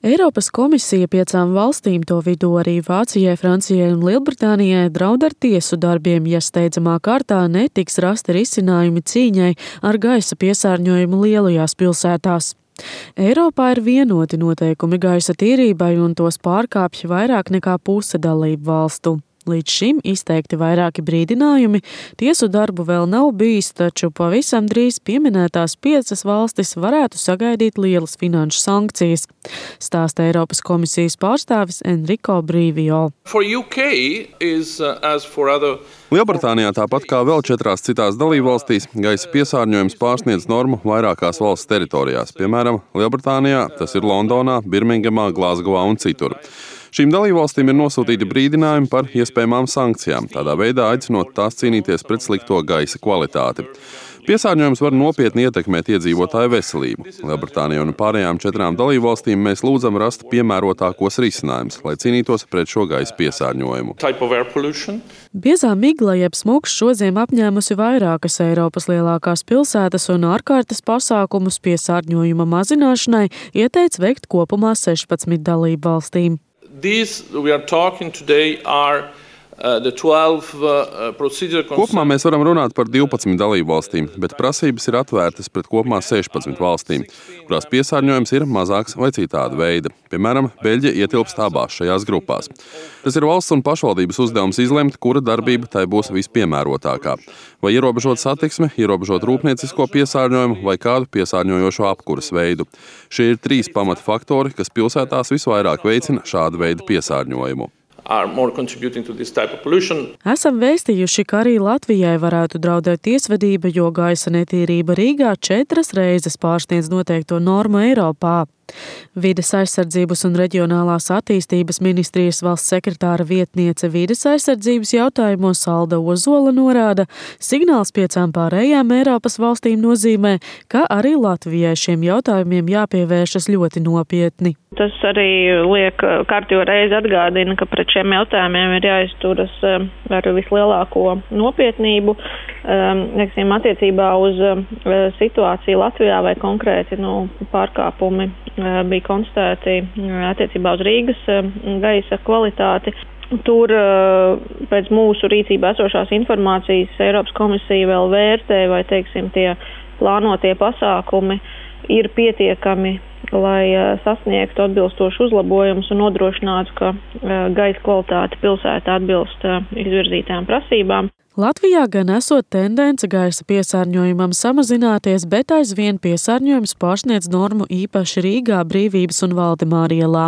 Eiropas komisija 5 valstīm, to vidū arī Vācijai, Francijai un Lielbritānijai, draud ar tiesu darbiem, ja steidzamā kārtā netiks rasti risinājumi cīņai ar gaisa piesārņojumu lielajās pilsētās. Eiropā ir vienoti noteikumi gaisa tīrībai, un tos pārkāpj vairāk nekā puse dalību valstu. Līdz šim izteikti vairāki brīdinājumi, tiesu darbu vēl nav bijis, taču pavisam drīz pieminētās 5 valstis varētu sagaidīt lielas finanšu sankcijas, stāsta Eiropas komisijas pārstāvis Enrico Brīvio. Lielbritānijā, tāpat kā vēl 4 citās dalībvalstīs, gaisa piesārņojums pārsniedz normu vairākās valsts teritorijās. Piemēram, Lielbritānijā tas ir Londonā, Birmingemā, Glazgovā un citur. Šīm dalībvalstīm ir nosūtīti brīdinājumi par iespējamām sankcijām, tādā veidā aicinot tās cīnīties pret slikto gaisa kvalitāti. Piesārņojums var nopietni ietekmēt iedzīvotāju veselību. Lielbritānijai un pārējām 4 dalībvalstīm mēs lūdzam rast piemērotākos risinājumus, lai cīnītos pret šo gaisa piesārņojumu. Biezā migla jeb smogs šodien apņēmusi vairākas Eiropas lielākās pilsētas un ārkārtas pasākumus piesārņojuma mazināšanai ieteica veikt kopumā 16 dalībvalstīm. Kopumā mēs varam runāt par 12 dalībvalstīm, bet prasības ir atvērtas pret kopumā 16 valstīm, kurās piesārņojums ir mazāks vai citāda veida. Piemēram, Beļģija ietilpst abās šajās grupās. Tas ir valsts un pašvaldības uzdevums izlemt, kura darbība tai būs vispiemērotākā. Vai ierobežot satiksmi, ierobežot rūpniecisko piesārņojumu vai kādu piesārņojošo apkuras veidu. Šie ir 3 pamatfaktori, kas pilsētās visvairāk veicina šādu veidu piesārņojumu. Esam vēstījuši, ka arī Latvijai varētu draudēt tiesvedība, jo gaisa netīrība Rīgā 4 reizes pārsniedz noteikto normu Eiropā. Vides aizsardzības un reģionālās attīstības ministrijas valsts sekretāra vietniece vides aizsardzības jautājumos Alda Ozola norāda, signāls 5 pārējām Eiropas valstīm nozīmē, ka arī Latvijai šiem jautājumiem jāpievēršas ļoti nopietni. Tas arī liek kārtīgi reizi atgādina, ka pret šiem jautājumiem ir jāizturas ar vislielāko nopietnību. Attiecībā uz situāciju Latvijā vai konkrēti pārkāpumi bija konstatēti attiecībā uz Rīgas gaisa kvalitāti. Tur pēc mūsu rīcībā esošās informācijas Eiropas komisija vēl vērtē, vai tie plānotie pasākumi ir pietiekami, lai sasniegtu atbilstošu uzlabojumus un nodrošinātu, ka gaisa kvalitāte pilsētā atbilst izvirzītām prasībām. Latvijā gan esot tendence gaisa piesārņojumam samazināties, bet aizvien piesārņojums pārsniedz normu īpaši Rīgā, Brīvības un Valdemāra ielā.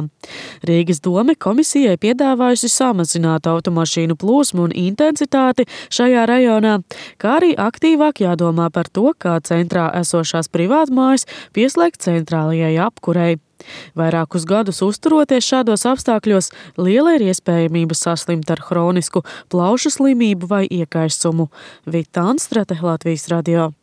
Rīgas dome komisijai piedāvājusi samazināt automašīnu plūsmu un intensitāti šajā rajonā, kā arī aktīvāk jādomā par to, kā centrā esošās privātmājas pieslēgt centrālajai apkurei. Vairākus gadus uzturoties šādos apstākļos, liela ir iespējamība saslimt ar hronisku plaušu slimību vai iekaisumu. Vita Anstrate, Latvijas radio.